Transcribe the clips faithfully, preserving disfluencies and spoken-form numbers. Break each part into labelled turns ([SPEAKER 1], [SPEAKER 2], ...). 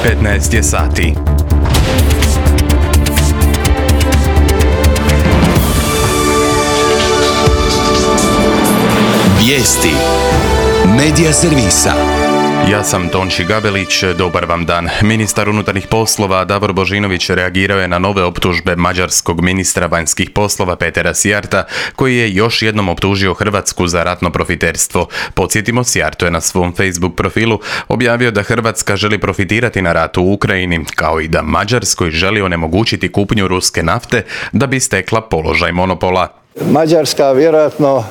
[SPEAKER 1] petnaest je sati.
[SPEAKER 2] Vijesti Medija servisa.
[SPEAKER 1] Ja sam Tonči Gabelić, dobar vam dan. Ministar unutarnjih poslova Davor Božinović reagirao je na nove optužbe mađarskog ministra vanjskih poslova Petera Sijarta, koji je još jednom optužio Hrvatsku za ratno profiterstvo. Podsjetimo, Sijarto je na svom Facebook profilu objavio da Hrvatska želi profitirati na ratu u Ukrajini, kao i da Mađarskoj želi onemogućiti kupnju ruske nafte da bi stekla položaj monopola.
[SPEAKER 3] Mađarska vjerojatno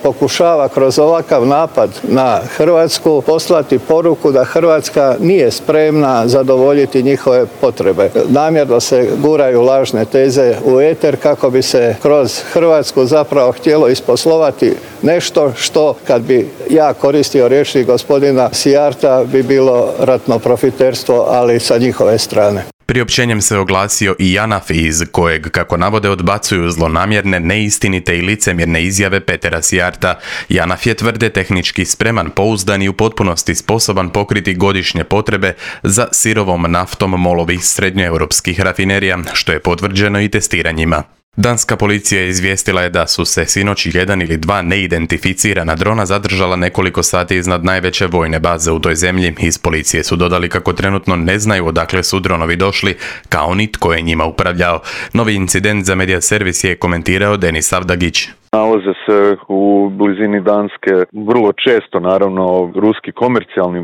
[SPEAKER 3] pokušava kroz ovakav napad na Hrvatsku poslati poruku da Hrvatska nije spremna zadovoljiti njihove potrebe. Namjerno se guraju lažne teze u eter kako bi se kroz Hrvatsku zapravo htjelo isposlovati nešto što, kad bi ja koristio riječi gospodina Sijarta, bi bilo ratno profiterstvo, ali sa njihove strane.
[SPEAKER 1] Priopćenjem se oglasio i JANAF, iz kojeg, kako navode, odbacuju zlonamjerne, neistinite i licemjerne izjave Petera Sijarta. JANAF je, tvrde, tehnički spreman, pouzdan i u potpunosti sposoban pokriti godišnje potrebe za sirovom naftom molovih srednjoeuropskih rafinerija, što je potvrđeno i testiranjima. Danska policija izvijestila je da su se sinoć jedan ili dva neidentificirana drona zadržala nekoliko sati iznad najveće vojne baze u toj zemlji. Iz policije su dodali kako trenutno ne znaju odakle su dronovi došli, kao ni tko je njima upravljao. Novi incident za Medija servis je komentirao Denis Avdagić.
[SPEAKER 4] Nalaze se u blizini Danske vrlo često, naravno, ruski komercijalni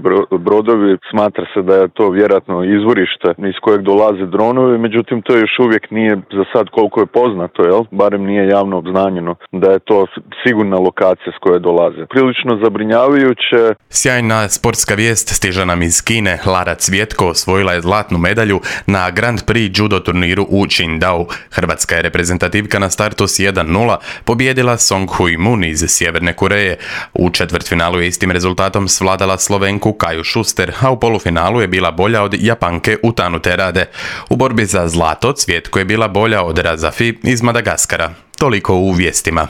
[SPEAKER 4] brodovi. Smatra se da je to vjerojatno izvorište iz kojeg dolaze dronovi, međutim to još uvijek nije za sad, koliko je poznato, jel? Barem nije javno obznanjeno da je to sigurna lokacija s koje dolaze. Prilično zabrinjavajuće.
[SPEAKER 1] Sjajna sportska vijest stiže nam iz Kine. Lara Cvjetko osvojila je zlatnu medalju na Grand Prix judo turniru u Qingdao. Hrvatska je reprezentativka na startu s jedan nula pobjedila Song Hui Moon iz Sjeverne Koreje. U četvrtfinalu je istim rezultatom svladala Slovenku Kaju Šuster, a u polufinalu je bila bolja od Japanke Utanu Terade. U borbi za zlato Cvjetko je bila bolja od Razafi iz Madagaskara. Toliko u vijestima.